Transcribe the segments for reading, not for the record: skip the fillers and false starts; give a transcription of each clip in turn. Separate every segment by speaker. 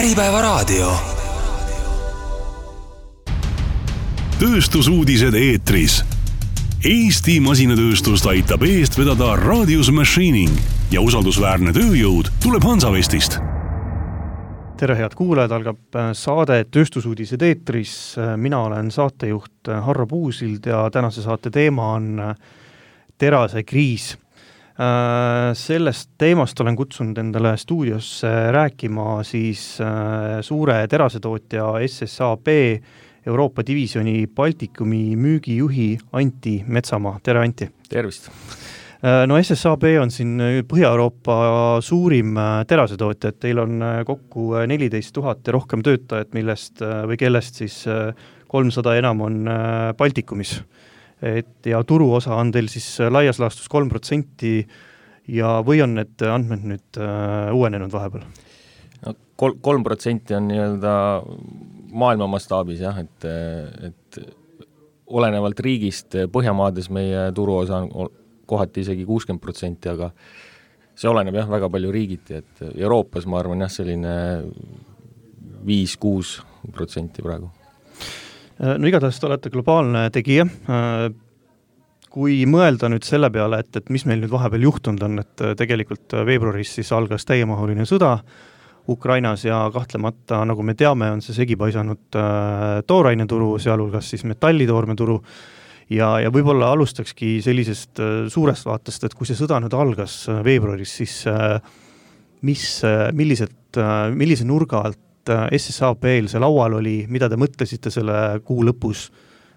Speaker 1: Äripäevaraadio.
Speaker 2: Tööstusuudised eetris. Eesti masinatööstust aitab eest vedada Radius Machining ja usaldusväärne tööjõud tuleb Hansavestist.
Speaker 3: Tere head kuulajad, algab saade Tööstusuudised eetris. Mina olen saatejuht Harro Puusild ja tänase saate teema on terasekriis. Sellest teemast olen kutsunud endale stuudiosse rääkima siis suure terasetootja SSAB Euroopa divisjoni Baltikumi müügijuhi Anti Metsamaa. Tere Anti!
Speaker 4: Tervist!
Speaker 3: No SSAB on siin Põhja-Euroopa suurim terasetootja, et teil on kokku 14 000 ja rohkem töötajat, kellest siis 300 enam on Baltikumis. Ja turuosa on teil siis laias laastus 3% ja või on need andmed nüüd uuenenud vahepeal?
Speaker 4: No, 3% on nii-öelda maailma mastaabis, jah, et olenevalt riigist Põhjamaades meie turuosa on kohati isegi 60%, aga see oleneb jah väga palju riigiti, et Euroopas ma arvan jah selline 5-6% praegu.
Speaker 3: No igatahes te olete globaalne tegija. Kui mõelda nüüd selle peale, et mis meil nüüd vahepeal juhtunud on, et tegelikult veebruaris siis algas täiemahuline sõda Ukrainas ja kahtlemata, nagu me teame, on see segipaisanud tooraineturu, sealhulgas siis metallitoormeturu ja võib-olla alustakski sellisest suurest vaatest, et kui see sõda nüüd algas veebruaris, siis millise nurga alt SSAB-l see laual oli, mida te mõtlesite selle kuu lõpus,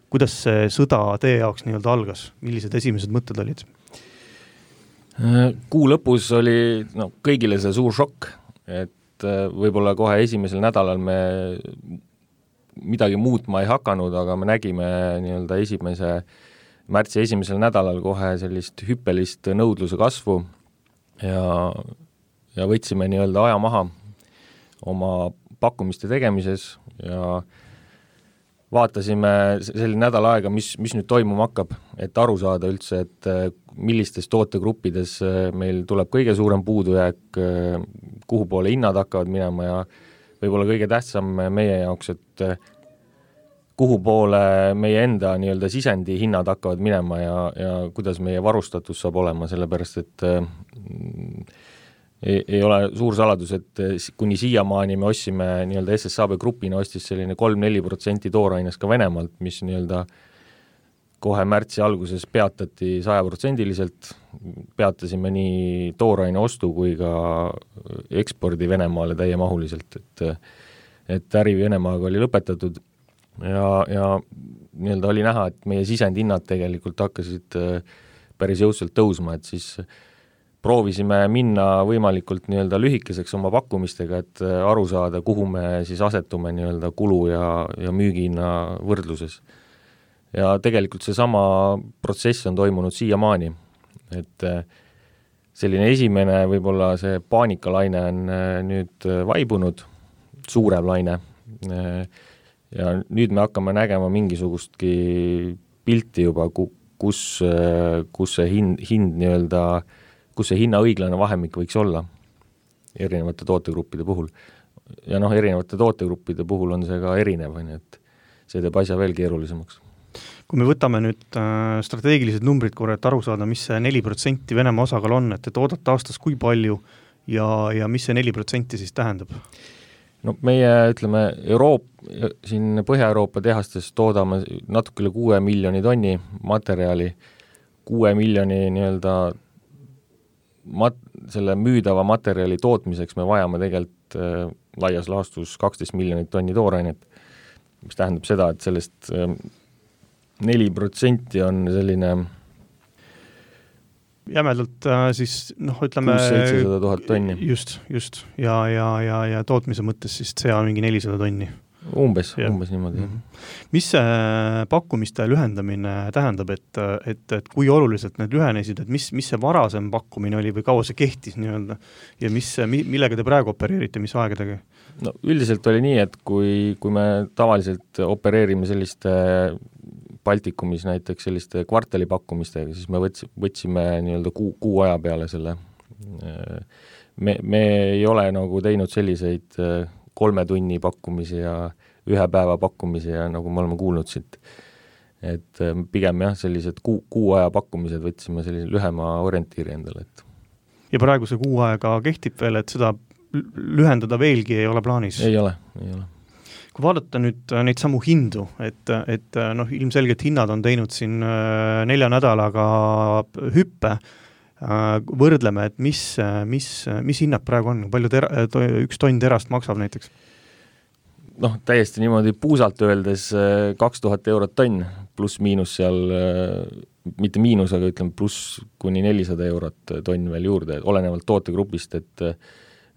Speaker 3: kuidas see sõda teie jaoks nii-öelda algas, millised esimesed mõtted olid?
Speaker 4: Kuu lõpus oli kõigile see suur šokk, et võib-olla kohe esimesel nädalal me midagi muutma ei hakanud, aga me nägime nii-öelda märtsi esimesel nädalal kohe sellist hüppelist nõudluse kasvu ja võtsime nii-öelda aja maha oma pakkumiste tegemises ja vaatasime selline nädal aega, mis nüüd toimuma hakkab, et aru saada üldse, et millistes tootegruppides meil tuleb kõige suurem puudujääk, kuhu poole hinnad hakkavad minema ja võib-olla kõige tähtsam meie jaoks, et kuhu poole meie enda nii-öelda sisendi hinnad hakkavad minema ja kuidas meie varustatus saab olema, sellepärast et ei ole suur saladus, et kuni siiamaani me ostsime nii-öelda SSAB grupina ostis selline 3-4% toorainest ka Venemaalt, mis nii-öelda kohe märtsi alguses peatati 100%, peatasime nii tooraine ostu kui ka ekspordi Venemaale täiemahuliselt, et äri Venemaaga oli lõpetatud ja nii-öelda oli näha, et meie sisendhinnad tegelikult hakkasid päris jõudsalt tõusma, et siis proovisime minna võimalikult nii-öelda lühikeseks oma pakkumistega, et aru saada, kuhu me siis asetume nii-öelda kulu ja müügihinna võrdluses. Ja tegelikult see sama protsess on toimunud siiamaani, et selline esimene võib-olla see paanikalaine on nüüd vaibunud, suurem laine ja nüüd me hakkame nägema mingisugustki pilti juba, kus see hind nii-öelda kus see hinna õiglane vahemik võiks olla erinevate tootegruppide puhul. Ja erinevate tootegruppide puhul on see ka erinev, et see teeb asja veel keerulisemaks.
Speaker 3: Kui me võtame nüüd strateegilised numbrid korra, et aru saada, mis see 4% Venemaa osakaal on, et te toodate aastas kui palju ja mis see 4% siis tähendab?
Speaker 4: No meie, ütleme, siin Põhja-Euroopa tehastes toodame natuke üle 6 miljoni tonni materjali, 6 miljoni nii-öelda selle müüdava materjali tootmiseks me vajame tegelikult laias laastus 12 miljonit tonni toorainet, mis tähendab seda, et sellest 4% on selline
Speaker 3: jämedalt siis, ütleme
Speaker 4: 600-700 000 tonni.
Speaker 3: Just. Ja tootmise mõttes siis see on mingi 400 tonni.
Speaker 4: Umbes niimoodi.
Speaker 3: Mis see pakkumiste lühendamine tähendab, et kui oluliselt need lühenesid, et mis see varasem pakkumine oli või kaua see kehtis nii-öelda ja millega te praegu opereerite, mis aegadega?
Speaker 4: No, üldiselt oli nii, et kui me tavaliselt opereerime selliste Baltikumis näiteks selliste kvartalipakkumistega, siis me võtsime nii-öelda kuu aja peale selle. Me ei ole nagu teinud selliseid 3 tunni pakkumisi ja 1 päeva pakkumisi ja nagu me oleme kuulnud siit, et pigem jah, sellised kuu aja pakkumised võtsime sellise lühema orientiiri endale, et.
Speaker 3: Ja praegu see 6 aega kehtib veel, et seda lühendada veelgi ei ole plaanis?
Speaker 4: Ei ole.
Speaker 3: Kui vaadata nüüd neid samu hindu, et ilmselgelt hinnad on teinud siin 4 nädalaga hüppe, võrdleme, et mis hinnad praegu on, palju üks tonn terast maksab näiteks?
Speaker 4: Täiesti niimoodi puusalt öeldes 2000 eurot tonn, pluss miinus seal, mitte miinus, aga ütleme pluss kuni 400 eurot tonn veel juurde, olenevalt tootegrupist, et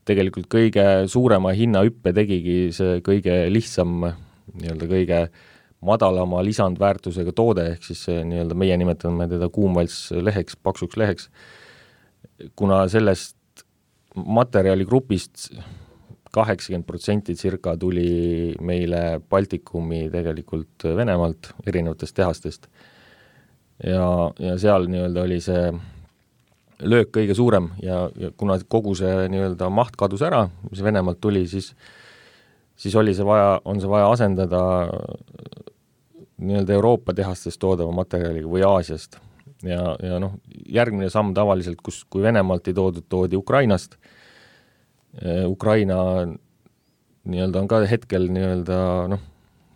Speaker 4: tegelikult kõige suurema hinnahüppe tegigi see kõige lihtsam, nii-öelda kõige madalama lisandväärtusega toode, ehk siis nii-öelda meie nimetame teda kuumvalts leheks, paksuks leheks, kuna sellest materjaligrupist 80% circa tuli meile Baltikumi tegelikult Venemaalt, erinevatest tehastest. Ja seal nii-öelda oli see löök kõige suurem ja kuna kogu see nii-öelda maht kadus ära, mis Venemaalt tuli, siis on see vaja asendada nii-öelda Euroopa tehastest toodava materjaliga või Aasiast. Ja järgmine samm tavaliselt, kui Venemaalt ei toodi Ukrainast, Ukraina nii-öelda on ka hetkel nii-öelda,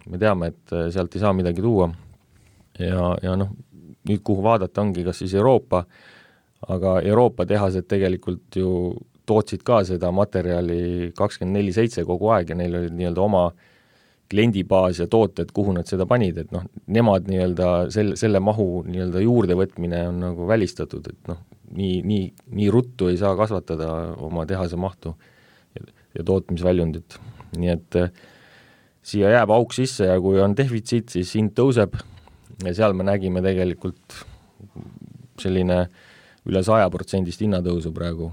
Speaker 4: me teame, et sealt ei saa midagi tuua ja nüüd kuhu vaadata ongi kas siis Euroopa, aga Euroopa tehased tegelikult ju tootsid ka seda materjali 24/7 kogu aeg ja neil oli nii-öelda oma kliendibaas ja tooted, kuhu nad seda panid, et nemad nii-öelda selle mahu nii-öelda juurde võtmine on nagu välistatud, et nii ruttu ei saa kasvatada oma tehase mahtu ja tootmisväljundit. Nii et siia jääb auk sisse ja kui on defitsiit, siis hind tõuseb ja seal me nägime tegelikult selline üle 100% hinnatõusu praegu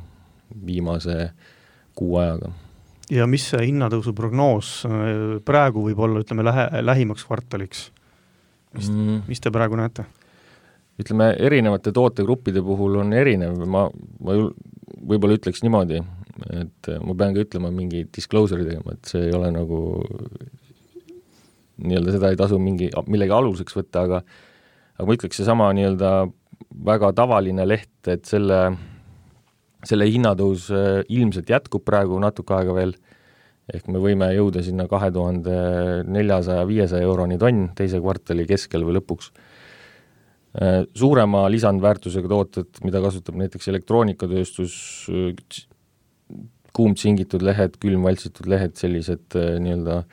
Speaker 4: viimase 6 ajaga.
Speaker 3: Ja mis see hinnatõusu prognoos praegu võib olla, ütleme, lähimaks kvartaliks? Mis te praegu näete?
Speaker 4: Ütleme, erinevate tootegruppide puhul on erinev, ma võib-olla ütleks niimoodi, et ma pean ka ütlema mingi disclosure'i tegema, et see ei ole nagu nii-öelda seda ei tasu millegi aluseks võtta, aga ma ütleks seesama nii-öelda väga tavaline leht, et selle hinnatõus ilmselt jätkub praegu natuke aega veel, ehk me võime jõuda sinna 2400-500 euroni tonn teise kvartali keskel või lõpuks. Suurema lisandväärtusega tooted, mida kasutab näiteks elektroonikatööstus, kuumtsingitud lehed, külmvaltsitud lehed, sellised nii-öelda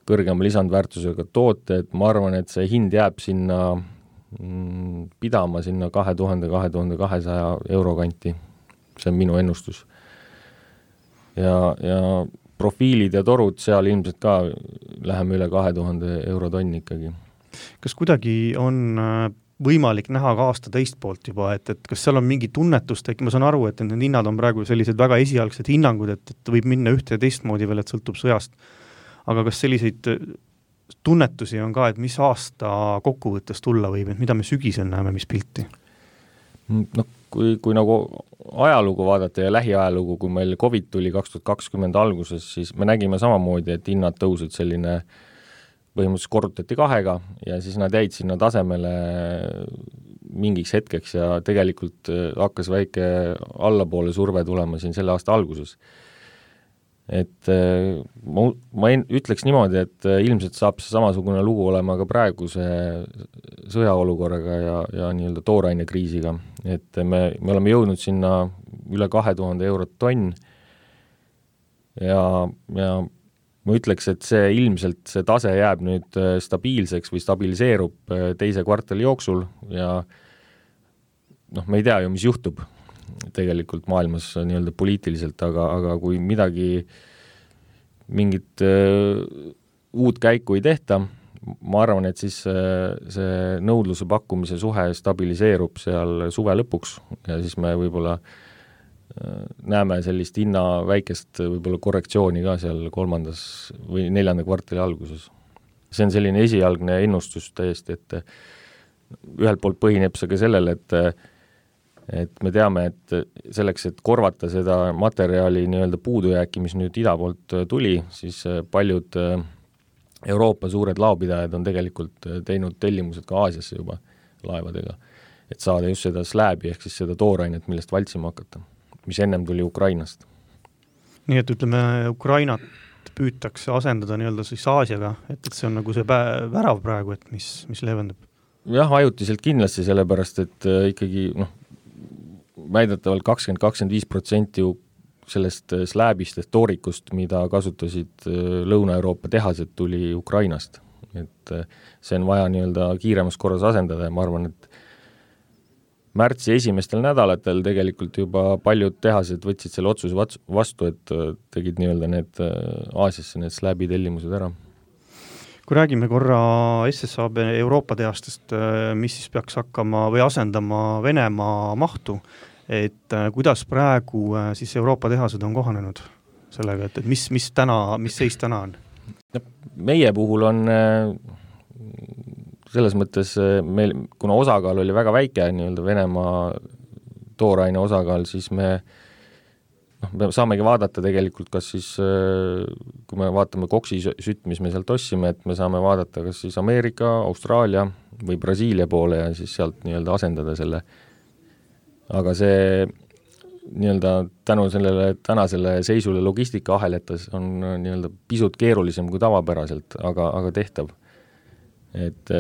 Speaker 4: kõrgema lisandväärtusega tooted, ma arvan, et see hind jääb sinna pidama sinna 2000-2200 euro kanti. See on minu ennustus. Ja profiilid ja torud seal ilmselt ka läheme üle 2000 euro tonni ikkagi.
Speaker 3: Kas kuidagi on võimalik näha ka aasta teist poolt juba, et kas seal on mingi tunnetust, ma saan aru, et need hinnad on praegu sellised väga esialgsed hinnangud, et võib minna ühte ja teistmoodi veel, et sõltub sõjast. Aga kas selliseid tunnetusi on ka, et mis aasta kokkuvõttes tulla võib, et mida me sügisel näeme, mis pilti?
Speaker 4: Kui nagu ajalugu vaadata ja lähiajalugu, kui meil COVID tuli 2020 alguses, siis me nägime samamoodi, et hinnad tõusid selline põhimõtteliselt korrutati 2 ja siis nad jäid sinna tasemele mingiks hetkeks ja tegelikult hakkas väike allapoole surve tulema siin selle aasta alguses. Et ma ütleks niimoodi, et ilmselt saab see samasugune lugu olema ka praeguse sõjaolukorraga ja nii-öelda toorainekriisiga, et me oleme jõudnud sinna üle 2000 eurot tonn ja ma ütleks, et see ilmselt see tase jääb nüüd stabiilseks või stabiliseerub teise kvartali jooksul ja me ei tea ju, mis juhtub tegelikult maailmas nii-öelda poliitiliselt, aga kui mingit uut käiku ei tehta, ma arvan, et siis see nõudluse pakkumise suhe stabiliseerub seal suve lõpuks ja siis me võib-olla näeme sellist hinna väikest võib-olla korrektsiooni ka seal 3. või 4. kvartali alguses. See on selline esialgne ennustus täiesti, et ühelt poolt põhineb see ka sellele, et et me teame, et selleks, et korvata seda materjali nii-öelda puudujääki, mis nüüd ida poolt tuli, siis paljud Euroopa suured laopidajad on tegelikult teinud tellimused ka Aasiasse juba laevadega, et saada just seda slääbi ehk siis seda toorainet, millest valtsima hakata, mis ennem tuli Ukrainast.
Speaker 3: Nii et ütleme, Ukrainat püütakse asendada nii-öelda siis Aasiaga, et see on nagu see värav praegu, et mis leevendab?
Speaker 4: Jah, ajutiselt kindlasti, sellepärast, et ikkagi väidetavalt 20-25% sellest slääbist, toorikust, mida kasutasid Lõuna-Euroopa tehased, tuli Ukrainast. Et see on vaja nii-öelda kiiremas korras asendada ja ma arvan, et märtsi esimestel nädalatel tegelikult juba paljud tehased võtsid selle otsuse vastu, et tegid nii-öelda need Aasiasse need slääbitellimused ära.
Speaker 3: Kui räägime korra SSAB Euroopa tehastest, mis siis peaks hakkama või asendama Venemaa mahtu, et kuidas praegu siis Euroopa tehased on kohanenud sellega, et mis seis täna on?
Speaker 4: Meie puhul on selles mõttes meil, kuna osakaal oli väga väike, nii-öelda Venemaa tooraine osakaal, siis me saamegi vaadata tegelikult, kas siis, kui me vaatame koksisütt, mis me sealt ossime, et me saame vaadata kas siis Ameerika, Austraalia või Brasiilia poole ja siis sealt nii-öelda asendada selle. Aga see nii-öelda tänu sellele tänasele seisule logistikaaheljetas on nii-öelda pisut keerulisem kui tavapäraselt, aga tehtav. Et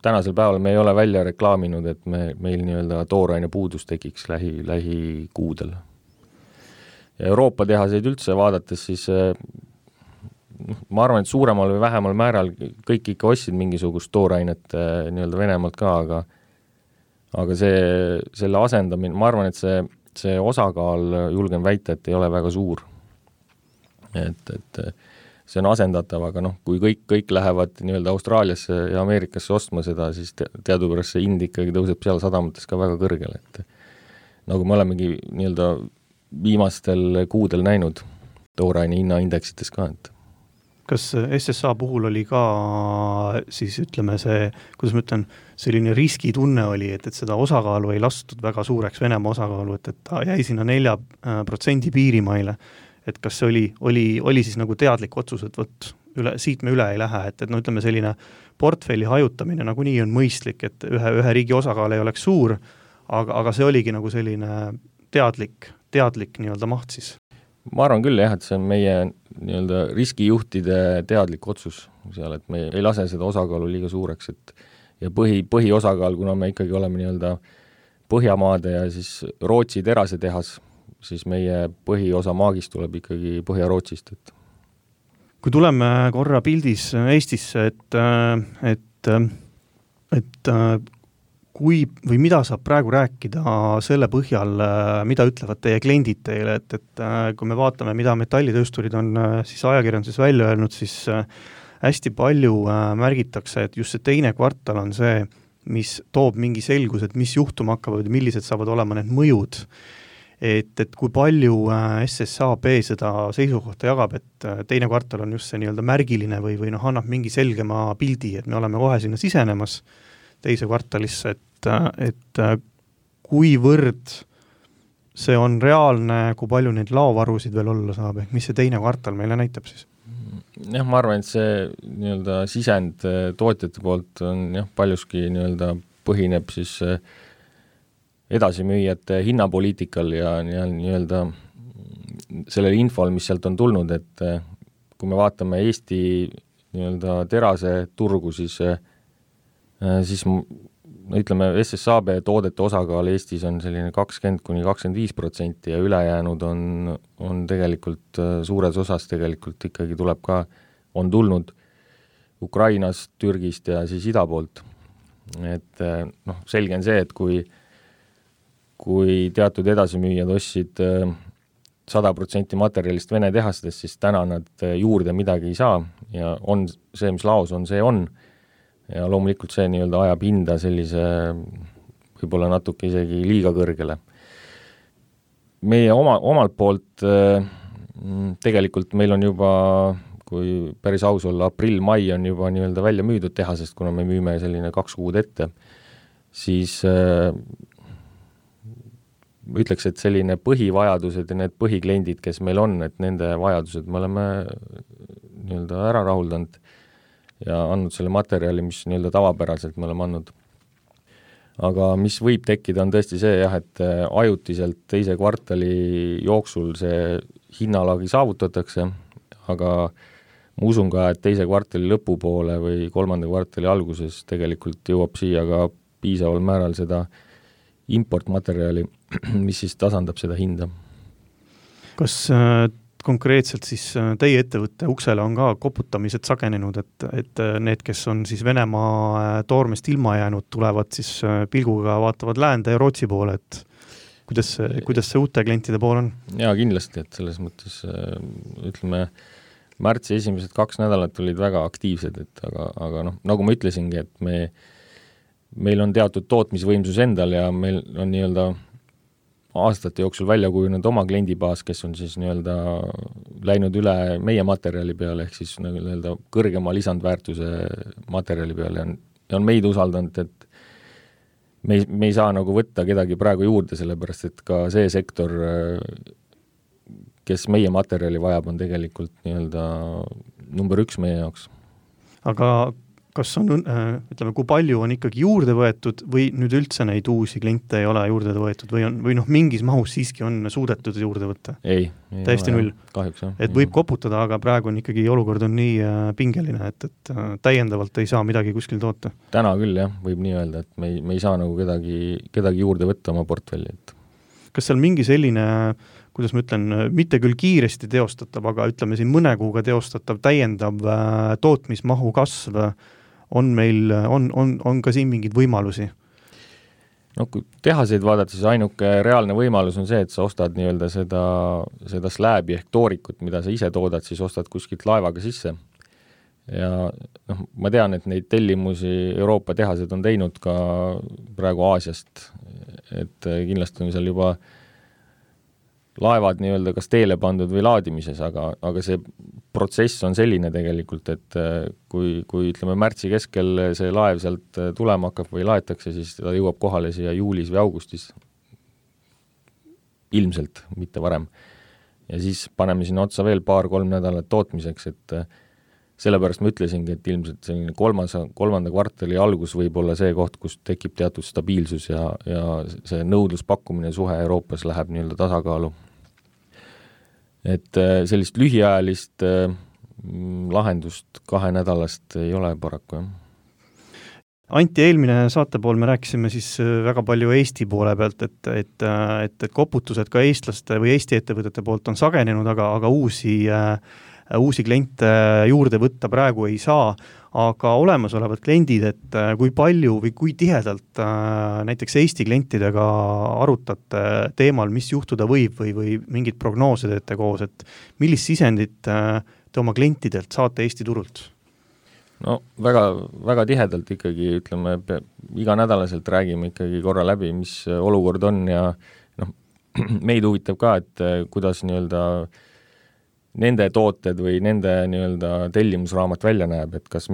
Speaker 4: tänasel päeval me ei ole välja reklaaminud, et meil nii-öelda tooraine puudus tekiks lähikuudel. Ja Euroopa tehaseid üldse vaadates, siis ma arvan, et suuremal või vähemal määral kõik ikka ostsid mingisugust toorainet nii-öelda Venemaalt ka, aga selle asendamine, ma arvan, et see osakaal, julgen väita, et ei ole väga suur. Et see on asendatav, aga kui kõik lähevad nii-öelda Austraaliasse ja Ameerikasse ostma seda, siis teadupärast see hind ikkagi tõuseb seal sadamates ka väga kõrgel, et nagu me olemegi nii-öelda viimastel kuudel näinud tooraine hinnaindeksites ka.
Speaker 3: Kas SSA puhul oli ka siis ütleme see, kuidas ma ütlen, selline riskitunne oli, et seda osakaalu ei lastud väga suureks Venemaa osakaalu, et ta jäi sinna 4% piirimaile, et kas see oli siis nagu teadlik otsus, et siit me üle ei lähe, et ütleme selline portfelli hajutamine nagunii on mõistlik, et ühe riigi osakaal ei oleks suur, aga see oligi nagu selline teadlik nii-öelda maht siis.
Speaker 4: Ma arvan küll jah, et see on meie nii-öelda riskijuhtide teadlik otsus seal, et me ei lase seda osakaalu liiga suureks, et ja põhiosakaal, kuna me ikkagi oleme nii-öelda Põhjamaade ja siis Rootsi terase tehas, siis meie põhiosa maagist tuleb ikkagi Põhja-Rootsist.
Speaker 3: Kui tuleme korra pildis Eestisse, et kui või mida saab praegu rääkida selle põhjal, mida ütlevad teie kliendid teile, et kui me vaatame, mida metallitöösturid on siis ajakirjanduses välja öelnud, siis hästi palju märgitakse, et just see teine kvartal on see, mis toob mingi selgus, et mis juhtuma hakkavad, millised saavad olema need mõjud. Et kui palju SSAB seda seisukohta jagab, et teine kvartal on just see nii-öelda märgiline või annab mingi selgema pildi, et me oleme kohe sinna sisenemas teise kvartalisse, et kuivõrd see on reaalne, kui palju neid laovarusid veel olla saab, ehk mis see teine kvartal meile näitab siis?
Speaker 4: Jah, ma arvan, et see nii-öelda sisend tootjate poolt on paljuski nii-öelda põhineb siis edasimüüjate hinnapoliitikal ja nii-öelda sellele infol, mis sealt on tulnud, et kui me vaatame Eesti nii-öelda terase turgu, siis ütleme, SSAB toodete osakaal Eestis on selline 20-25% ja ülejäänud on tegelikult suures osas tegelikult ikkagi tuleb ka, on tulnud Ukrainast, Türgist ja siis ida poolt. Et selge on see, et kui teatud edasimüüjad ostsid 100% materjalist Vene tehastest, siis täna nad juurde midagi ei saa ja on see, mis laos on, see on. Ja loomulikult see nii-öelda ajab hinda sellise võib-olla natuke isegi liiga kõrgele. Meie omalt poolt tegelikult meil on juba, kui päris aus olla, aprill-mai on juba nii-öelda välja müüdud tehasest, kuna me müüme selline 2 kuud ette, siis ütleks, et selline põhivajadused ja need põhikliendid, kes meil on, et nende vajadused me oleme nii-öelda ära rahuldanud ja andnud selle materjali, mis nii-öelda tavapäraselt me oleme andnud. Aga mis võib tekkida, on tõesti see jah, et ajutiselt teise kvartali jooksul see hinnalagi saavutatakse, aga ma usun ka, et teise kvartali lõpupoole või kolmanda kvartali alguses tegelikult jõuab siia ka piisaval määral seda importmaterjali, mis siis tasandab seda hinda.
Speaker 3: Kas konkreetselt siis teie ettevõtte uksele on ka koputamised sagenenud, et need, kes on siis Venemaa toormest ilma jäänud, tulevad siis pilguga, vaatavad läände ja Rootsi poole, et kuidas see uute klientide pool on?
Speaker 4: Jaa, kindlasti, et selles mõttes ütleme, märtsi esimesed 2 nädalat olid väga aktiivsed, aga nagu ma ütlesingi, et meil on teatud tootmisvõimsus endal ja meil on nii-öelda aastate jooksul välja kujunenud oma kliendibaas, kes on siis nii-öelda läinud üle meie materjali peale, ehk siis nii-öelda kõrgema lisandväärtuse materjali peale ja on meid usaldanud, et me ei saa nagu võtta kedagi praegu juurde, sellepärast et ka see sektor, kes meie materjali vajab, on tegelikult nii-öelda number 1 meie jaoks.
Speaker 3: Aga kas on, ütleme, kui palju on ikkagi juurde võetud või nüüd üldse neid uusi kliente ei ole juurde võetud või mingis mahus siiski on suudetud juurde võtta?
Speaker 4: Ei
Speaker 3: täiesti null.
Speaker 4: Kahjuks, jah.
Speaker 3: Et võib koputada, aga praegu on ikkagi olukord on nii pingeline, et täiendavalt ei saa midagi kuskil toota.
Speaker 4: Täna küll, jah, võib nii öelda, et me ei saa nagu kedagi juurde võtta oma portfelli.
Speaker 3: Kas seal mingi selline, kuidas ma ütlen, mitte küll kiiresti teostatav, aga ütleme siin mõne kuuga teostatav täiendav tootmismahu kasv on meil, on ka siin mingid võimalusi?
Speaker 4: No kui tehaseid vaadata, siis ainuke reaalne võimalus on see, et sa ostad nii-öelda seda slääbi ehk toorikut, mida sa ise toodad, siis ostad kuskilt laevaga sisse. Ja ma tean, et neid tellimusi Euroopa tehased on teinud ka praegu Aasiast, et kindlasti on seal juba laevad nii-öelda kas teele pandud või laadimises, aga see protsess on selline tegelikult, et kui ütleme märtsi keskel see laev sealt tulema hakkab või laetakse, siis ta jõuab kohale siia juulis või augustis. Ilmselt, mitte varem. Ja siis paneme sinna otsa veel 2-3 nädalat tootmiseks, et sellepärast ma ütlesingi, et ilmselt selline kolmanda kvartali algus võib olla see koht, kus tekib teatud stabiilsus ja see nõudluspakkumine suhe Euroopas läheb nii-öelda tasakaalu. Et sellist lühiajalist lahendust 2 nädalast ei ole paraku, jah.
Speaker 3: Anti, eelmine saate pool me rääkisime siis väga palju Eesti poole pealt, et koputused ka eestlaste või Eesti ettevõtete poolt on sagenenud, aga uusi kliente juurde võtta praegu ei saa, aga olemasolevad kliendid, et kui palju või kui tihedalt näiteks Eesti klientidega arutate teemal, mis juhtuda võib või mingid prognoose teete koos, et millist sisendit te oma klientidelt saate Eesti turult?
Speaker 4: No väga, väga tihedalt ikkagi, ütleme, iganädalaselt räägime ikkagi korra läbi, mis olukord on ja meid huvitab ka, et kuidas nii-öelda nende tooted või nende nii-öelda tellimusraamat välja näeb, et kas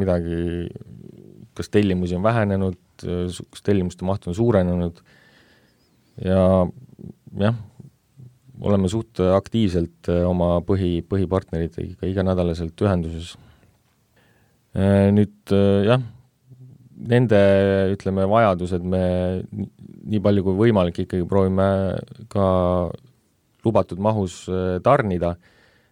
Speaker 4: tellimusi on vähenenud, kas tellimuste maht on suurenenud ja jah, oleme suht aktiivselt oma põhipartneritega iganädalaselt ühenduses. Nüüd jah, nende ütleme vajadused me nii palju kui võimalik ikkagi proovime ka lubatud mahus tarnida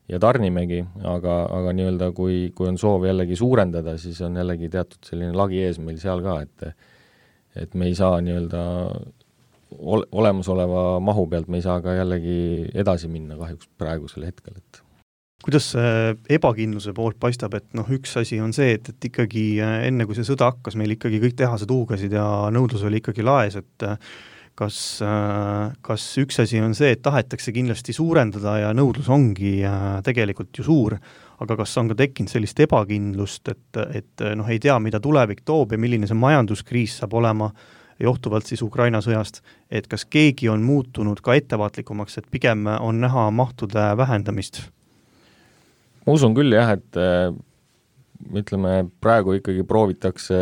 Speaker 4: ja tarnimegi, aga nii-öelda kui on soov jällegi suurendada, siis on jällegi teatud selline lagi ees meil seal ka, et me ei saa nii-öelda olemasoleva mahu pealt, me ei saa ka jällegi edasi minna kahjuks praegusel hetkel.
Speaker 3: Kuidas see ebakindluse poolt paistab, et üks asi on see, et ikkagi enne kui see sõda hakkas, meil ikkagi kõik tehased huugasid ja nõudlus oli ikkagi laes, et kas üks asi on see, et tahetakse kindlasti suurendada ja nõudlus ongi tegelikult ju suur, aga kas on ka tekkinud sellist ebakindlust, et ei tea, mida tulevik toob ja milline see majanduskriis saab olema johtuvalt siis Ukraina sõjast, et kas keegi on muutunud ka ettevaatlikumaks, et pigem on näha mahtude vähendamist?
Speaker 4: Ma usun küll jah, et ütleme, praegu ikkagi proovitakse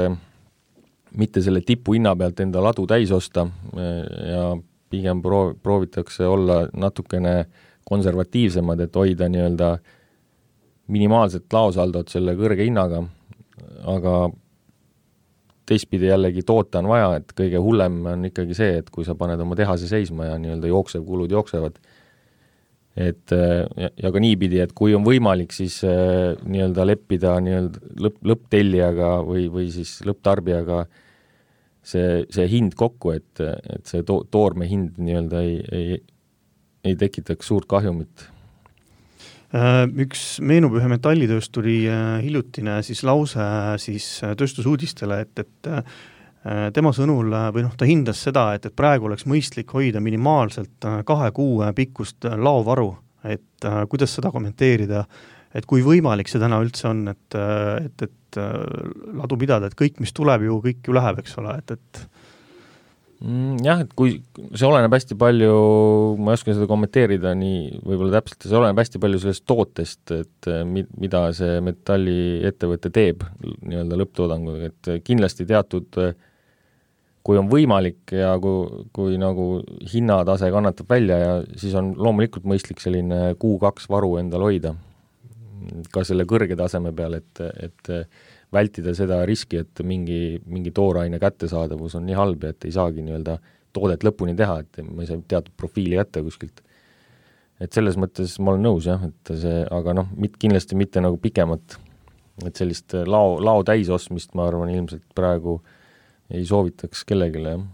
Speaker 4: mitte selle tipu hinna pealt enda ladu täis osta ja pigem proovitakse olla natukene konservatiivsemad, et hoida nii-öelda minimaalset laosaldot selle kõrge hinnaga, aga teistpidi jällegi toota on vaja, et kõige hullem on ikkagi see, et kui sa paned oma tehase seisma ja nii-öelda kulud jooksevad. Et ja ka niipidi, et kui on võimalik, siis nii-öelda leppida nii-öelda lõpptellijaga või siis lõpptarbijaga see hind kokku, et see toorme hind nii-öelda ei tekitaks suurt kahjumit.
Speaker 3: Üks meenub ühe metallitöösturi hiljutine siis lause siis tööstusuudistele, et tema sõnul või ta hindas seda, et praegu oleks mõistlik hoida minimaalselt 2 kuu pikkust laovaru, et kuidas seda kommenteerida, et kui võimalik see täna üldse on, et ladu pidada, et kõik, mis tuleb ju, kõik ju läheb, eks ole, et
Speaker 4: jah, et kui see oleneb hästi palju, ma ei oska seda kommenteerida nii võib-olla täpselt, see oleneb hästi palju sellest tootest, et mida see metalliettevõte teeb nii-öelda lõpptoodanguga, et kindlasti teatud, kui on võimalik ja kui nagu hinnatase kannatab välja ja siis on loomulikult mõistlik selline 1-2 varu endal hoida ka selle kõrge taseme peal, et vältida seda riski, et mingi tooraine kättesaadavus on nii halb, et ei saagi nii-öelda toodet lõpuni teha, et ma ei saa teatud profiili jätta kuskilt. Et selles mõttes ma olen nõus, jah, et see, aga kindlasti mitte nagu pikemat, et sellist lao täisostmist, ma arvan, ilmselt praegu ei soovitaks kellegile, jah.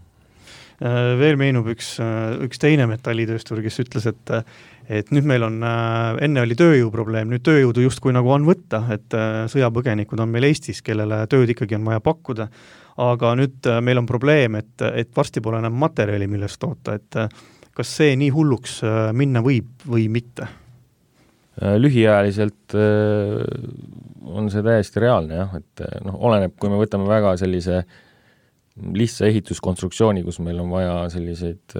Speaker 3: Veel meenub üks teine metallitööstur, kes ütles, et nüüd meil on, enne oli tööjõuprobleem, nüüd tööjõudu justkui nagu on võtta, et sõjapõgenikud on meil Eestis, kellele tööd ikkagi on vaja pakkuda, aga nüüd meil on probleem, et varsti pole enam materjali, millest toota, et kas see nii hulluks minna võib või mitte?
Speaker 4: Lühiajaliselt on see täiesti reaalne, jah, et oleneb, kui me võtame väga sellise lihtsa ehituskonstruktsiooni, kus meil on vaja selliseid,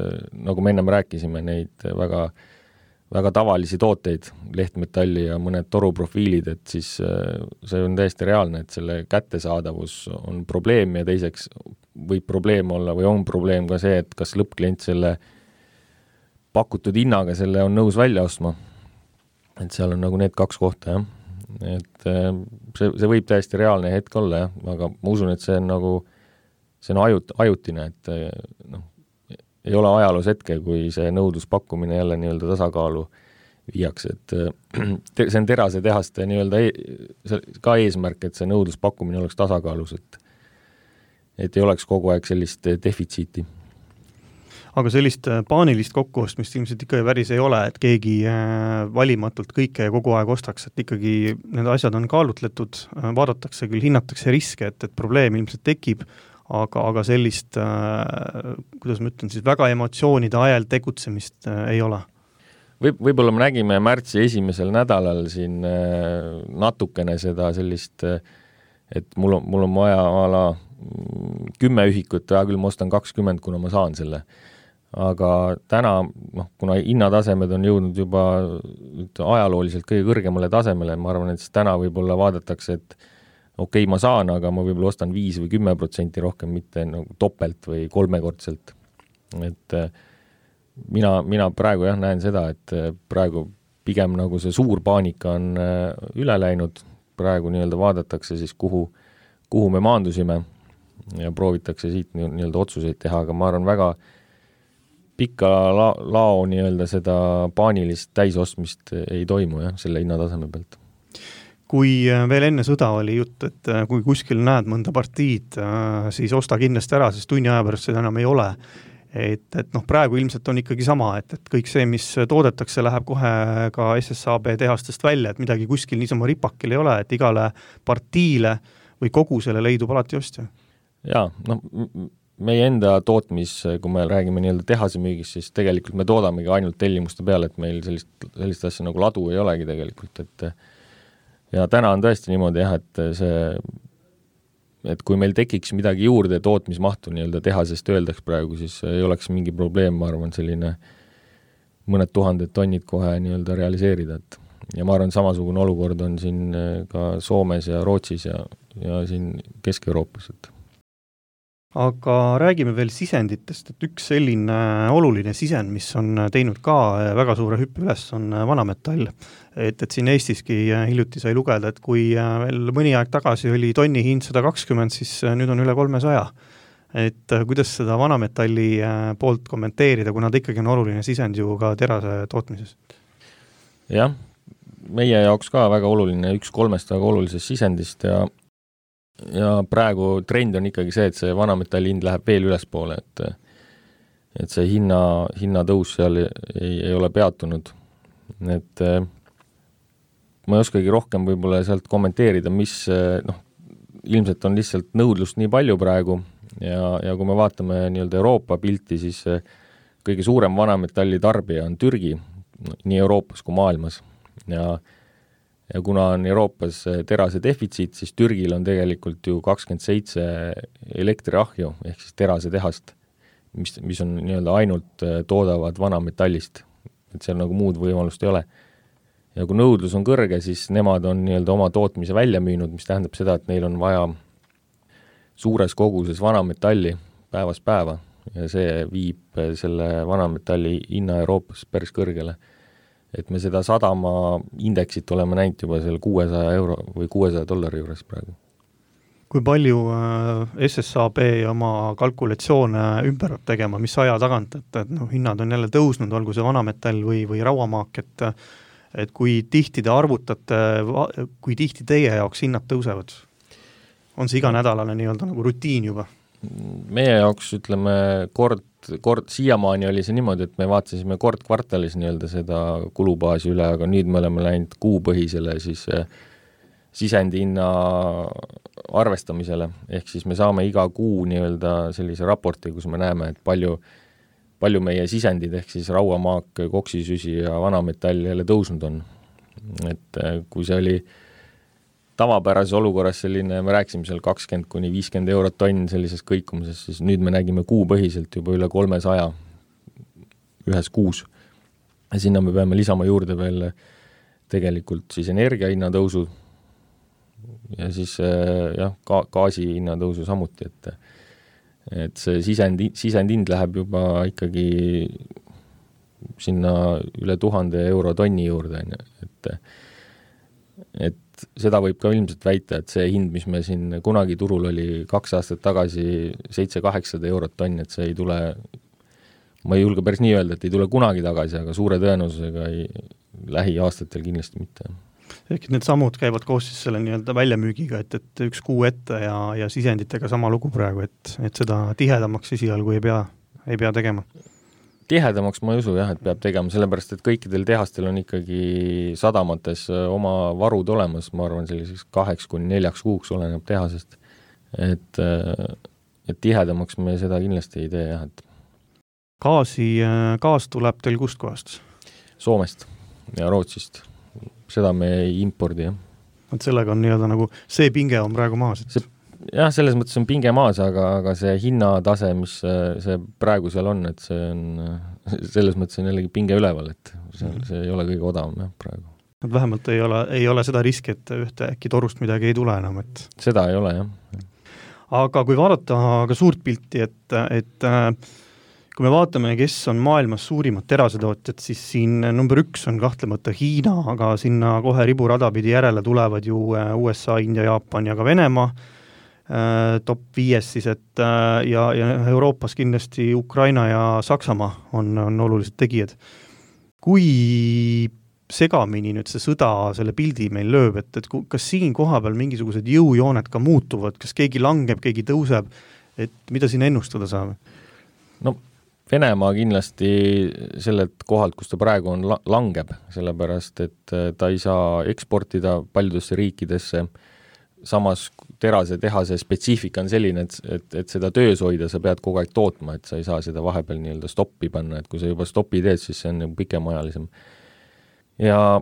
Speaker 4: nagu me ennem rääkisime, neid väga, väga tavalisi tooteid, lehtmetalli ja mõned toruprofiilid, et siis see on täiesti reaalne, et selle kättesaadavus on probleem ja teiseks võib probleem olla või on probleem ka see, et kas lõppklient selle pakutud hinnaga selle on nõus välja ostma. Et seal on nagu need 2 kohta, jah. Et see võib täiesti reaalne hetk olla, jah, aga ma usun, et see on nagu see on ajutine, et ei ole ajaloos hetke, kui see nõudluspakkumine jälle nii-öelda tasakaalu viiakse, et see on terasetehaste nii-öelda ka eesmärk, et see nõudluspakkumine oleks tasakaalus, et ei oleks kogu aeg sellist defitsiiti.
Speaker 3: Aga sellist paanilist kokkuostmist ilmselt ikka päris ei ole, et keegi valimatult kõike kogu aeg ostaks, et ikkagi need asjad on kaalutletud, vaadatakse küll, hinnatakse riske, et probleem ilmselt tekib, aga sellist, kuidas ma ütlen, siis väga emotsioonide ajal tegutsemist ei ole.
Speaker 4: Võib-olla me nägime märtsi esimesel nädalal siin natukene seda sellist, et mul on vaja 10 ühikut, ja küll ma ostan 20, kuna ma saan selle. Aga täna, kuna hinnatasemed on jõudnud juba ajalooliselt kõige kõrgemale tasemele, ma arvan, et siis täna võib-olla vaadatakse, et okei, ma saan, aga ma võib-olla ostan 5 või 10% rohkem, mitte nagu topelt või 3-kordselt. Et mina praegu jah näen seda, et praegu pigem nagu see suur paanika on üle läinud, praegu nii-öelda vaadatakse siis, kuhu me maandusime ja proovitakse siit nii-öelda otsuseid teha, aga ma arvan väga pikka lao nii-öelda seda paanilist täisostmist ei toimu jah, selle hinnataseme pealt.
Speaker 3: Kui veel enne sõda oli jutt, et kui kuskil näed mõnda partiid, siis osta kindlasti ära, sest tunni aja pärast seda enam ei ole. Et praegu ilmselt on ikkagi sama, et kõik see, mis toodetakse, läheb kohe ka SSAB tehastest välja, et midagi kuskil niisama ripakil ei ole, et igale partiile või kogusele leidub alati ostja.
Speaker 4: Jaa, meie enda tootmis, kui me räägime nii-öelda tehase müügis, siis tegelikult me toodamegi ainult tellimuste peale, et meil sellist asja nagu ladu ei olegi tegelikult, ja täna on tõesti niimoodi jah, et kui meil tekiks midagi juurde tootmismahtu nii-öelda tehasest öeldaks praegu, siis ei oleks mingi probleem, ma arvan, selline mõned 1000 tonnid kohe nii-öelda realiseerida. Ja ma arvan, samasugune olukord on siin ka Soomes ja Rootsis ja siin Kesk-Euroopas.
Speaker 3: Aga räägime veel sisenditest, et üks selline oluline sisend, mis on teinud ka väga suure hüppe üles, on vanametall. Et siin Eestiski hiljuti sai lugeda, et kui veel mõni aeg tagasi oli tonni hind 120, siis nüüd on üle 300. Et kuidas seda vanametalli poolt kommenteerida, kuna ta ikkagi on oluline sisend ju ka terase tootmises?
Speaker 4: Jah, meie jaoks ka väga oluline, üks 3 väga olulisest sisendist ja praegu trend on ikkagi see, et see vanametalli hind läheb veel ülespoole, et see hinna tõus seal ei ole peatunud. Et ma ei oskagi rohkem võib-olla sealt kommenteerida, mis ilmselt on lihtsalt nõudlust nii palju praegu ja kui me vaatame nii-öelda Euroopa pilti, siis kõige suurem vanametalli tarbija on Türgi, nii Euroopas kui maailmas ja kuna on Euroopas terase defitsiit, siis Türgil on tegelikult ju 27 elektriahju ehk siis terase tehast, mis on nii-öelda ainult toodavad vanametallist, et seal nagu muud võimalust ei ole. Ja kui nõudlus on kõrge, siis nemad on nii-öelda oma tootmise välja müünud, mis tähendab seda, et neil on vaja suures koguses vanametalli päevast päeva ja see viib selle vanametalli hinna Euroopas päris kõrgele. Et me seda sadama indeksit oleme näinud juba selle €600 või $600 juures praegu.
Speaker 3: Kui palju SSAB oma kalkulatsioone ümber tegema, mis aja tagant, et hinnad on jälle tõusnud, olgu see vanametall või rauamaak, et kui tihti te arvutate, kui tihti teie jaoks hinnad tõusevad? On see iganädalane nii-öelda nagu rutiin juba?
Speaker 4: Meie jaoks ütleme kord siiamaani oli see niimoodi, et me vaatasime kord kvartalis nii-öelda seda kulubaasi üle, aga nüüd me oleme läinud kuupõhisele siis sisendi hinna arvestamisele, ehk siis me saame iga kuu nii-öelda sellise raporti, kus me näeme, et palju meie sisendid ehk siis rauamaak, koksisüsi ja vanametall jälle tõusnud on. Et kui see oli tavapärases olukorras selline, me rääksime seal 20–50 € tonn sellises kõikumises, siis nüüd me nägime kuupõhiselt juba üle 300 ühes kuus. Ja sinna me peame lisama juurde veel tegelikult siis energia hinna tõusu ja siis gaasi hinna tõusu samuti, et see sisendhind läheb juba ikkagi sinna üle 1000 € tonni juurde, et seda võib ka ilmselt väita, et see hind, mis me siin kunagi turul oli 2 aastat tagasi 700–800 € tonn, et see ei tule, ma ei julge päris nii öelda, et ei tule kunagi tagasi, aga suure tõenäosusega lähiaastatel kindlasti mitte.
Speaker 3: Ehk need sammud käivad koos siis selle nii-öelda väljamüügiga, et üks kuu ette ja sisenditega sama lugu praegu, et seda tihedamaks esialgu ei pea tegema.
Speaker 4: Tihedamaks ma ei usu et peab tegema, sellepärast, et kõikidel tehastel on ikkagi sadamates oma varud olemas, ma arvan selliseks 2–4 kuuks oleneb tehasest, et tihedamaks me seda kindlasti ei tee et
Speaker 3: Gaas tuleb teil kust kohast?
Speaker 4: Soomest ja Rootsist, seda me ei impordi
Speaker 3: Et sellega on nii-öelda nagu see pinge on praegu maas?
Speaker 4: Jah, selles mõttes on pinge maas, aga see hinnatase, mis see praegu seal on, et see on, selles mõttes on jällegi pinge üleval, et see ei ole kõige odavam praegu.
Speaker 3: Vähemalt ei ole seda riski, et ühte äkki torust midagi ei tule enam, et
Speaker 4: seda ei ole,
Speaker 3: Aga kui vaadata ka suurt pilti, et kui me vaatame, kes on maailmas suurimad terasetootjad, siis siin number 1 on kahtlemata Hiina, aga sinna kohe riburadapidi järele tulevad ju USA, India, Jaapan ja ka Venemaa, top 5 siis, et ja Euroopas kindlasti Ukraina ja Saksamaa on olulised tegijad. Kui segamini nüüd see sõda selle pildi meil lööb, et kas siin koha peal mingisugused jõujooned ka muutuvad, kas keegi langeb, keegi tõuseb, et mida siin ennustada saab?
Speaker 4: No Venemaa kindlasti sellelt kohalt, kus ta praegu on, langeb, sellepärast, et ta ei saa eksportida paljudesse riikidesse. Samas terase tehase spetsiifika on selline, et seda töös hoida, sa pead kogu aeg tootma, et sa ei saa seda vahepeal nii-öelda stoppi panna, et kui sa juba stoppi teed, siis see on pikemaajalisem. Ja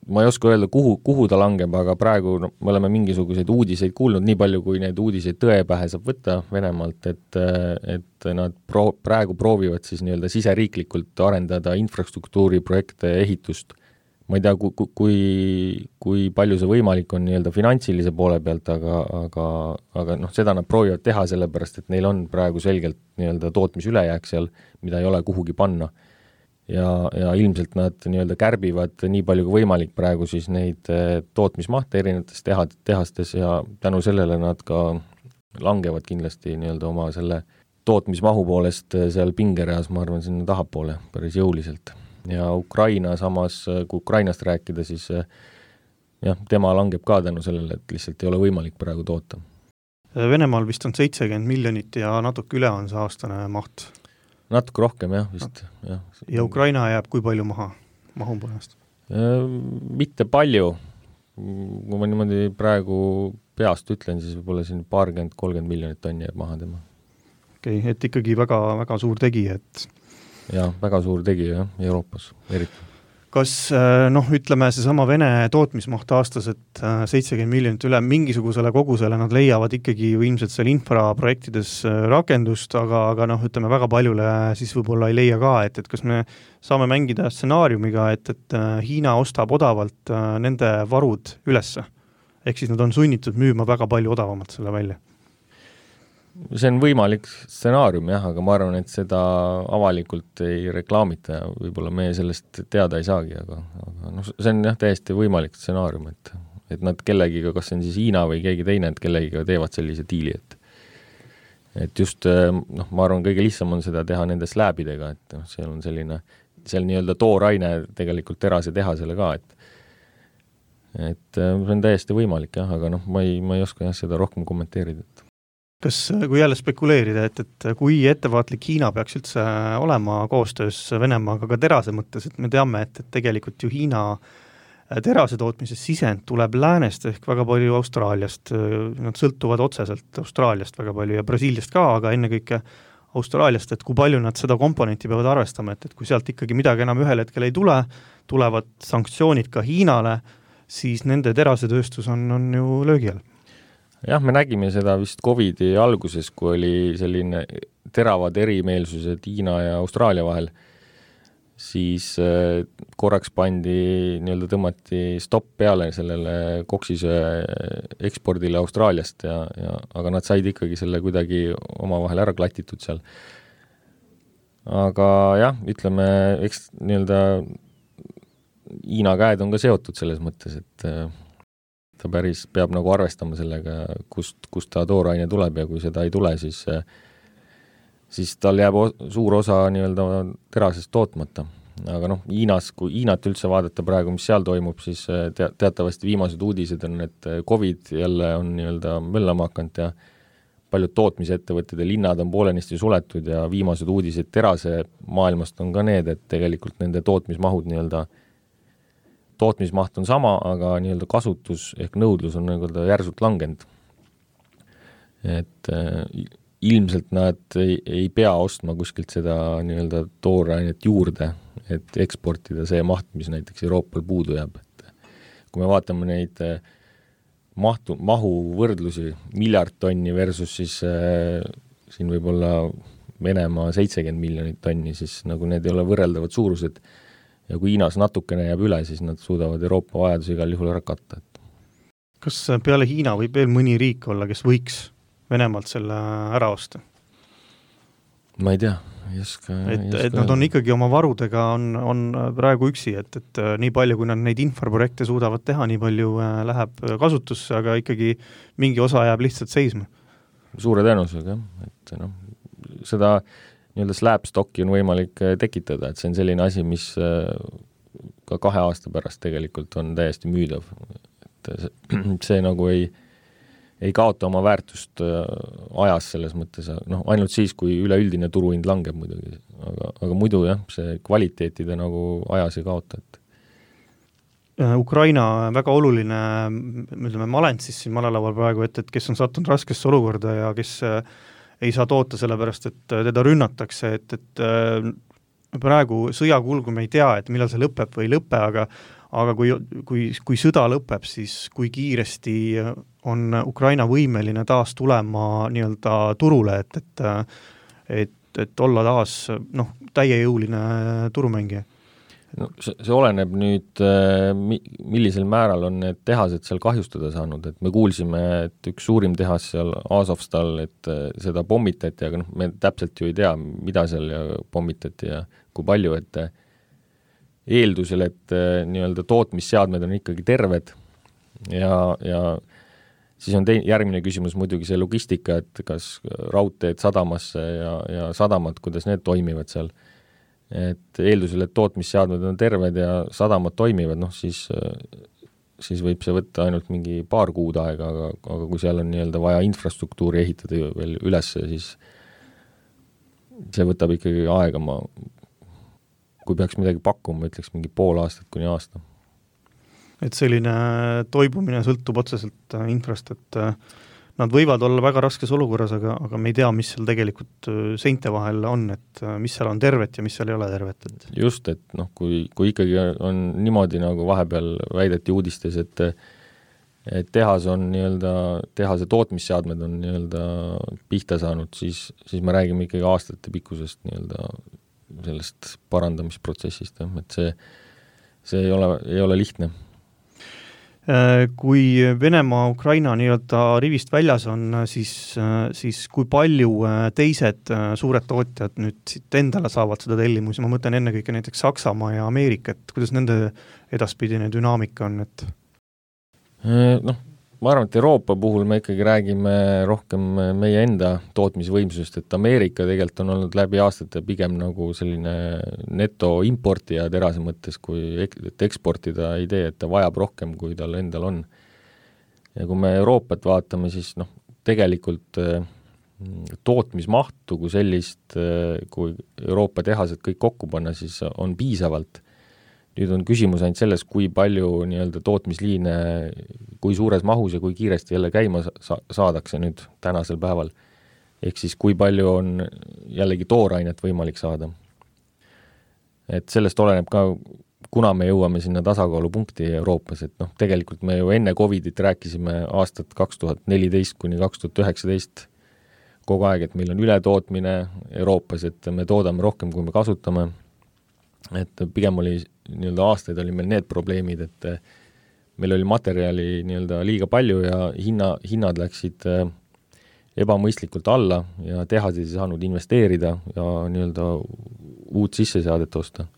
Speaker 4: ma ei oska öelda, kuhu ta langeb, aga praegu me oleme mingisuguseid uudiseid kuulnud, nii palju kui need uudiseid tõepähe saab võtta Venemaalt, et nad praegu proovivad siis nii-öelda siseriiklikult arendada infrastruktuuri projekte ehitust, ma ei tea, kui palju see võimalik on nii-öelda finantsilise poole pealt, aga seda nad proovivad teha sellepärast, et neil on praegu selgelt nii-öelda tootmisülejääk seal, mida ei ole kuhugi panna. Ja ilmselt nad nii-öelda kärbivad nii palju kui võimalik praegu siis neid tootmismahte erinevates tehastes ja tänu sellele nad ka langevad kindlasti nii-öelda oma selle tootmismahu poolest seal pingereas, ma arvan, sinna tahapoole päris jõuliselt. Ja Ukraina samas, kui Ukrainast rääkida, siis tema langeb ka tänu sellele, et lihtsalt ei ole võimalik praegu toota.
Speaker 3: Venemaal vist on 70 miljonit ja natuke üle on see aastane maht.
Speaker 4: Natuke rohkem, vist.
Speaker 3: Ja Ukraina jääb kui palju mahu poolest?
Speaker 4: Mitte palju. Kui ma niimoodi praegu peast ütlen, siis võib-olla siin 20-30 miljonit tonni jääb maha tema.
Speaker 3: Okei, et ikkagi väga, väga suur tegija, et
Speaker 4: ja väga suur tegija Euroopas eriti.
Speaker 3: Kas, ütleme seesama Vene tootmismaht aastas, et 70 miljonit üle mingisugusele kogusele nad leiavad ikkagi ju ilmselt seal infraprojektides rakendust, aga ütleme väga paljule siis võib-olla ei leia ka, et kas me saame mängida stsenaariumiga, et Hiina ostab odavalt nende varud ülesse. Ehk siis nad on sunnitud müüma väga palju odavamalt selle välja.
Speaker 4: See on võimalik stsenaarium, aga ma arvan, et seda avalikult ei reklaamita ja võib-olla meie sellest teada ei saagi, aga see on täiesti võimalik stsenaarium, et nad kellegiga, kas see on siis Hiina või keegi teine, et kellegiga teevad sellise diili, et just, ma arvan, kõige lihtsam on seda teha nende slääbidega, et seal on selline, seal nii-öelda tooraine tegelikult terase tehasele ka, et see on täiesti võimalik, aga ma ei oska seda rohkem kommenteerida.
Speaker 3: Kas, kui jälle spekuleerida, et kui ettevaatlik Hiina peaks üldse olema koostöös Venemaaga ka terase mõttes, et me teame, et tegelikult ju Hiina terase tootmises sisend tuleb läänest ehk väga palju Austraaliast, nad sõltuvad otseselt Austraaliast väga palju ja Brasiiliast ka, aga ennekõike Austraaliast, et kui palju nad seda komponenti peavad arvestama, et kui sealt ikkagi midagi enam ühel hetkel ei tule, tulevad sanktsioonid ka Hiinale, siis nende terasetööstus on ju löögi all.
Speaker 4: Jah, me nägime seda vist COVID-i alguses, kui oli selline teravad erimeelsused Hiina ja Austraalia vahel, siis korraks nii-öelda tõmmati stopp peale sellele koksisöe ekspordile Austraaliast, aga nad said ikkagi selle kuidagi omavahel ära klatitud seal. Aga jah, ütleme, eks nii-öelda Hiina käed on ka seotud selles mõttes, et ta päris peab nagu arvestama sellega, kust ta tooraine tuleb ja kui seda ei tule, siis tal jääb suur osa nii-öelda terasest tootmata. Aga Hiinas, kui Hiinat üldse vaadata praegu, mis seal toimub, siis teatavasti viimased uudised on, et COVID jälle on nii-öelda möllama hakanud ja paljud tootmisettevõtted ja linnad on poolenisti suletud ja viimased uudised terase maailmast on ka need, et tegelikult nende tootmismahud nii-öelda tootmismaht on sama, aga nii-öelda kasutus ehk nõudlus on nii-öelda järsult langenud. Et ilmselt nad ei pea ostma kuskilt seda nii-öelda toorainet juurde, et eksportida see maht, mis näiteks Euroopal puudu jääb. Kui me vaatame neid mahu võrdlusi, miljard tonni versus siis siin võib-olla Venemaa 70 miljonit tonni, siis nagu need ei ole võrreldavad suurused. Ja kui Hiinas natukene jääb üle, siis nad suudavad Euroopa vajaduse igal juhul ära katta.
Speaker 3: Kas peale Hiina võib veel mõni riik olla, kes võiks Venemaalt selle ära osta?
Speaker 4: Ma ei tea.
Speaker 3: Et nad on ikkagi oma varudega on praegu üksi, et nii palju, kui nad neid infraprojekte suudavad teha, nii palju läheb kasutusse, aga ikkagi mingi osa jääb lihtsalt seisma.
Speaker 4: Suure tõenäosusega, et seda nii-öelda slabstocki on võimalik tekitada, et see on selline asi, mis ka 2 aasta pärast tegelikult on täiesti müüdav. Et see nagu ei kaota oma väärtust ajas selles mõttes, ainult siis, kui üleüldine turuhind langeb muidugi, aga muidu jah, see kvaliteetide nagu ajas ei kaota.
Speaker 3: Ukraina väga oluline, ütleme, malent siis siin malelaval praegu, et kes on sattunud raskesse olukorda ja kes ei saa toota sellepärast, et teda rünnatakse, et praegu sõjakulgu me ei tea, et millal see lõpeb või ei lõpe, aga kui sõda lõpeb, siis kui kiiresti on Ukraina võimeline taas tulema nii-öelda turule, et olla taas täiejõuline turumängija?
Speaker 4: No, see oleneb nüüd, millisel määral on need tehased seal kahjustada saanud, et me kuulsime, et üks suurim tehas seal Azovstal, et seda pommitati, aga me täpselt ju ei tea, mida seal pommitati ja kui palju, et eeldusel, et nii-öelda tootmisseadmed on ikkagi terved ja siis on järgmine küsimus muidugi see logistika, et kas raudteed sadamasse ja sadamad, kuidas need toimivad seal. Et eeldusel, et tootmisseadmed on terved ja sadamad toimivad, siis võib see võtta ainult mingi paar kuud aega, aga kui seal on nii-öelda vaja infrastruktuuri ehitada veel üles, siis see võtab ikkagi aega, kui peaks midagi pakkuma, ütleks mingi pool aastat kuni aasta.
Speaker 3: Et selline toibumine sõltub otseselt infrast, et nad võivad olla väga raskes olukorras, aga me ei tea, mis seal tegelikult seinte vahel on, et mis seal on tervet ja mis seal ei ole tervet. Et...
Speaker 4: Just, et kui ikkagi on niimoodi nagu vahepeal väideti uudistes, et tehas on nii-öelda, tehase tootmisseadmed on nii-öelda pihta saanud, siis me räägime ikkagi aastate pikkusest nii-öelda sellest parandamisprotsessist, et see ei ole lihtne.
Speaker 3: Kui Venemaa Ukraina nii-öelda rivist väljas on, siis kui palju teised suured tootjad nüüd siit endale saavad seda tellimusi, ma mõtlen ennekõike näiteks Saksamaa ja Ameerika, et kuidas nende edaspidine dünaamika on? Et...
Speaker 4: ma arvan, et Euroopa puhul me ikkagi räägime rohkem meie enda tootmisvõimsusest, et Ameerika tegelikult on olnud läbi aastate pigem nagu selline netoimportija terase mõttes, kui eksportida ei tee, et ta vajab rohkem, kui tal endal on. Ja kui me Euroopat vaatame, siis tegelikult tootmismahtu kui sellist, kui Euroopa tehased kõik kokku panna, siis on piisavalt. Nüüd on küsimus ainult selles, kui palju nii-öelda tootmisliine, kui suures mahus ja kui kiiresti jälle käima saadakse nüüd tänasel päeval. Ehk siis kui palju on jällegi toorainet võimalik saada. Et sellest oleneb ka, kuna me jõuame sinna tasakaalupunkti Euroopas, et tegelikult me ju enne Covidit rääkisime aastat 2014 kuni 2019 kogu aeg, et meil on ületootmine Euroopas, et me toodame rohkem, kui me kasutame. Et pigem oli nii-öelda aastaid oli meil need probleemid, et meil oli materjali nii-öelda liiga palju ja hinnad läksid ebamõistlikult alla ja tehased ei saanud investeerida ja nii-öelda uut sisseseadet osta.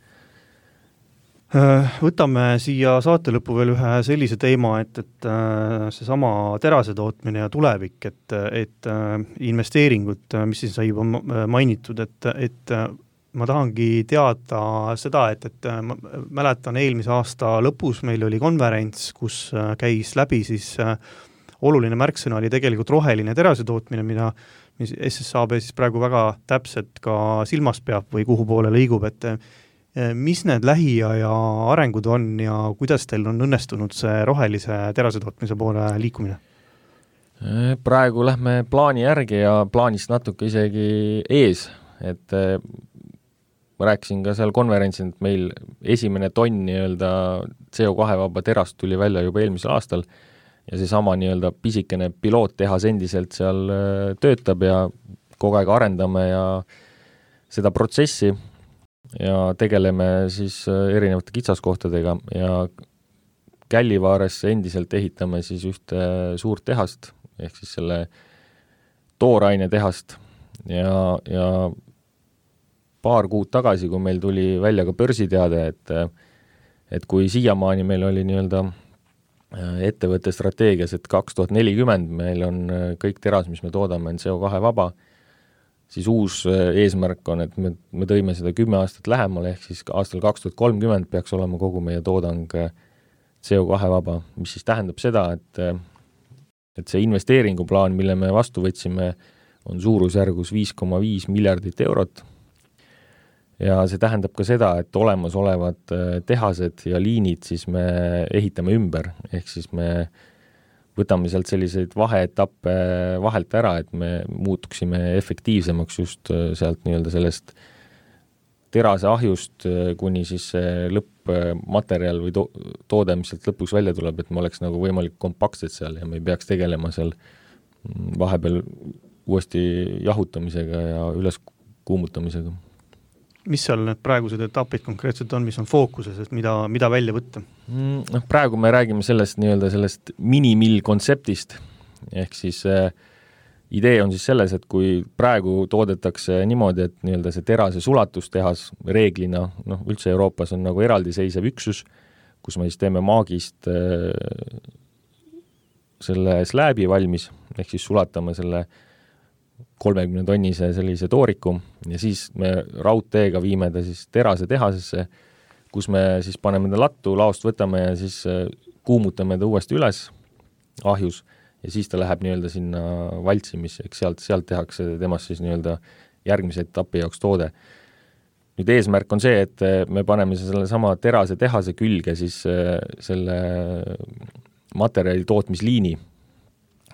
Speaker 3: Võtame siia saate lõppu veel ühe sellise teema, et seesama terase tootmine ja tulevik, et investeeringud, mis siis sai juba mainitud, et ma tahangi teada seda, et ma mäletan eelmise aasta lõpus meil oli konverents, kus käis läbi siis oluline märksõna oli tegelikult roheline terase tootmine, mida SSAB siis praegu väga täpselt ka silmas peab või kuhu poole liigub, et mis need lähiaja arengud on ja kuidas teil on õnnestunud see rohelise terase tootmise poole liikumine?
Speaker 4: Praegu lähme plaani järgi ja plaanist natuke isegi ees, et ma rääkisin ka seal konverentsil, et meil esimene tonn nii-öelda CO2-vaba terast tuli välja juba eelmisel aastal ja seesama nii-öelda pisikene piloottehas endiselt seal töötab ja kogu aeg arendame ja seda protsessi ja tegeleme siis erinevate kitsaskohtadega ja Källivaares endiselt ehitame siis ühte suurt tehast ehk siis selle tooraine tehast ja paar kuud tagasi, kui meil tuli välja ka börsiteade, et kui siiamaani meil oli nii-öelda ettevõtte strateegias, et 2040 meil on kõik teras, mis me toodame, on CO2 vaba, siis uus eesmärk on, et me tõime seda 10 aastat lähemale, ehk siis aastal 2030 peaks olema kogu meie toodang CO2 vaba, mis siis tähendab seda, et see investeeringuplaan, mille me vastu võtsime, on suurusjärgus 5,5 miljardit eurot. Ja see tähendab ka seda, et olemasolevad tehased ja liinid siis me ehitame ümber, ehk siis me võtame sealt selliseid vaheetappe vahelt ära, et me muutuksime efektiivsemaks just sealt nii-öelda sellest terase ahjust kuni siis lõppmaterjal või toode, mis sealt lõpuks välja tuleb, et me oleks nagu võimalik kompaktsed seal ja me ei peaks tegelema seal vahepeal uuesti jahutamisega ja üles kuumutamisega.
Speaker 3: mis seal need praegused etapid konkreetselt on, mis on fookuses, et mida välja võtta?
Speaker 4: Praegu me räägime sellest minimill kontseptist, ehk siis idee on siis selles, et kui praegu toodetakse niimoodi, et nii-öelda see terase sulatustehas reeglina, üldse Euroopas on nagu eraldiseisev üksus, kus me siis teeme maagist selle slääbi valmis, ehk siis sulatame selle 30 tonnise sellise tooriku ja siis me raudteega viime ta siis terase tehasesse, kus me siis paneme ta lattu, laost võtame ja siis kuumutame ta uuesti üles ahjus ja siis ta läheb nii-öelda sinna valtsimisse, eks sealt tehakse temast siis nii-öelda järgmise etapi jaoks toode. Nüüd eesmärk on see, et me paneme selle sama terase tehase külge siis selle materjali tootmisliini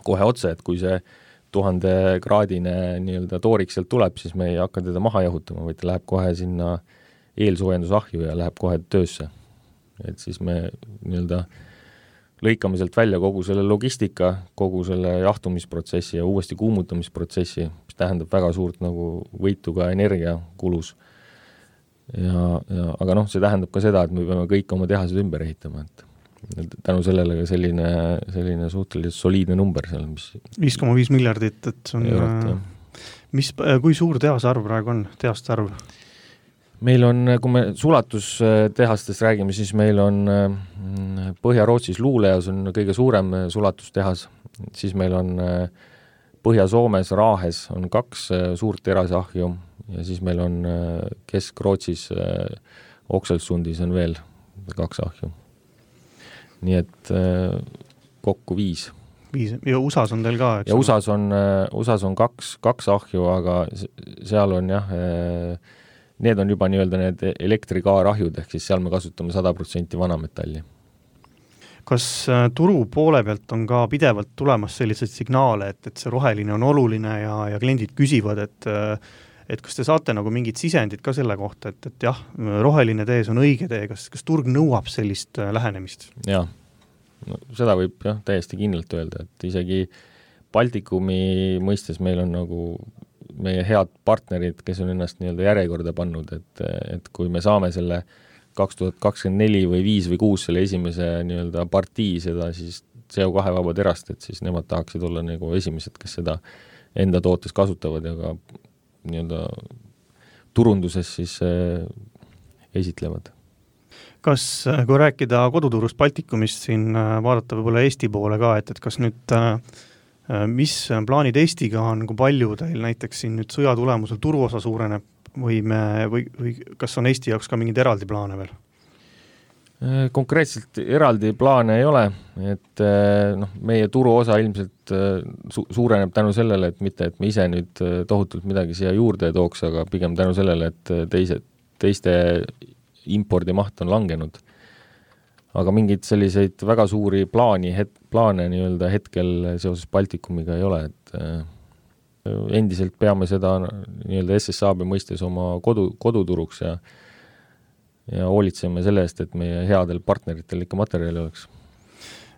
Speaker 4: kohe otse, et kui see 1000-kraadine nii-öelda toorik sealt tuleb, siis me ei hakka teda maha jahutama, vaid ta läheb kohe sinna eelsoojendusahju ja läheb kohe töösse. Et siis me nii-öelda lõikame sealt välja kogu selle logistika, kogu selle jahtumisprotsessi ja uuesti kuumutamisprotsessi, mis tähendab väga suurt nagu võitu ka energiakulus. Aga see tähendab ka seda, et me peame kõik oma tehased ümber ehitama, et tänu sellele ka selline suhteliselt soliidne number seal, mis
Speaker 3: 5,5 miljardit, et see on
Speaker 4: eurot,
Speaker 3: kui suur tehase arv praegu on, tehaste arv?
Speaker 4: Meil on, kui me sulatustehastest räägime, siis meil on Põhja-Rootsis Luuleas on kõige suurem sulatustehas, siis meil on Põhja-Soomes Raahes on 2 suurt terasahju ja siis meil on Kesk-Rootsis Okselsundis on veel 2 ahju. Nii et kokku 5.
Speaker 3: Ja USA-s on teil ka, eks?
Speaker 4: Ja USA-s on 2 ahju, aga seal on need on juba nii-öelda need elektrikaarahjud, ehk siis seal me kasutame 100% vanametalli.
Speaker 3: Kas turu poole pealt on ka pidevalt tulemas sellised signaale, et see roheline on oluline ja kliendid küsivad, et kas te saate nagu mingid sisendid ka selle kohta, et jah, roheline tee on õige tee, kas turg nõuab sellist lähenemist?
Speaker 4: Jaa, seda võib täiesti kindlalt öelda, et isegi Baltikumi mõistes meil on nagu meie head partnerid, kes on ennast nii-öelda järjekorda pannud, et kui me saame selle 2024 või 5 või 6 selle esimese nii-öelda partii seda siis CO2 vaba terast, et siis nemad tahaksid olla nagu esimesed, kes seda enda tootes kasutavad ja ka nii-öelda turunduses siis esitlevad.
Speaker 3: Kas, kui rääkida koduturust Baltikumist, siin vaadata võib-olla Eesti poole ka, et kas nüüd mis plaanid Eestiga on, kui palju teil näiteks siin nüüd sõja tulemusel turuosa suureneb või kas on Eesti jaoks ka mingid eraldi plaane veel?
Speaker 4: Konkreetselt eraldi plaane ei ole, et meie turuosa ilmselt suureneb tänu sellele, et mitte, et me ise nüüd tohutult midagi siia juurde tooks, aga pigem tänu sellele, et teiste impordimaht on langenud. Aga mingid selliseid väga suuri plaane nii-öelda hetkel seoses Baltikumiga ei ole, et endiselt peame seda nii-öelda SSAB mõistes oma koduturuks ja hoolitseme selle eest, et meie headel partneritel ikka materjali oleks.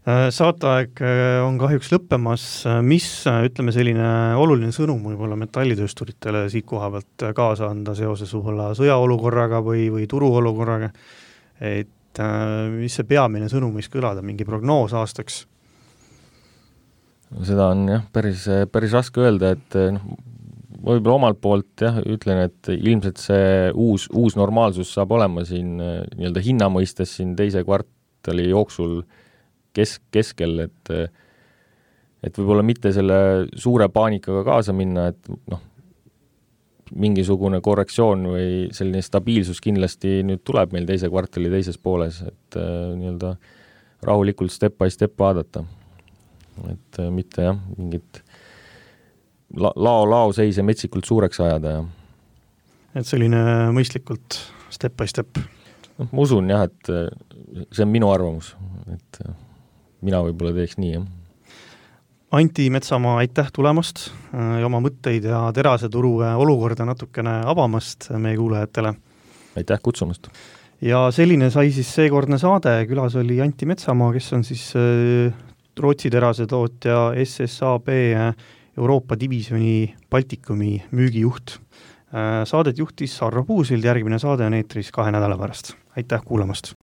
Speaker 3: Saateaeg on kahjuks lõppemas. Mis, ütleme, selline oluline sõnum võib-olla metallitöösturitele siit koha pealt kaasa anda seoses võib-olla sõjaolukorraga või turuolukorraga, et mis see peamine sõnum võiks kõlada, mingi prognoos aastaks? Seda
Speaker 4: on päris raske öelda, et võib-olla omalt poolt ütlen, et ilmselt see uus normaalsus saab olema siin nii-öelda hinna mõistes siin teise kvartali jooksul keskel, et võib-olla mitte selle suure paanikaga kaasa minna, et mingisugune korrektsioon või selline stabiilsus kindlasti nüüd tuleb meil teise kvartali teises pooles, et nii-öelda rahulikult step by step vaadata. Et mitte mingit lao seise metsikult suureks ajada.
Speaker 3: Et selline mõistlikult step by step?
Speaker 4: Ma usun et see on minu arvamus, et mina võib-olla teeks nii,
Speaker 3: Anti Metsamaa, aitäh tulemast ja oma mõtteid ja teraseturu olukorda natukene avamast meie kuulajatele.
Speaker 4: Aitäh kutsumast.
Speaker 3: Ja selline sai siis seekordne saade, külas oli Anti Metsamaa, kes on siis Rootsi terasetootja SSAB Euroopa divisjoni Baltikumi müügijuht. Saadet juhtis Arvo Puusild, järgmine saade on eetris 2 nädala pärast. Aitäh kuulamast!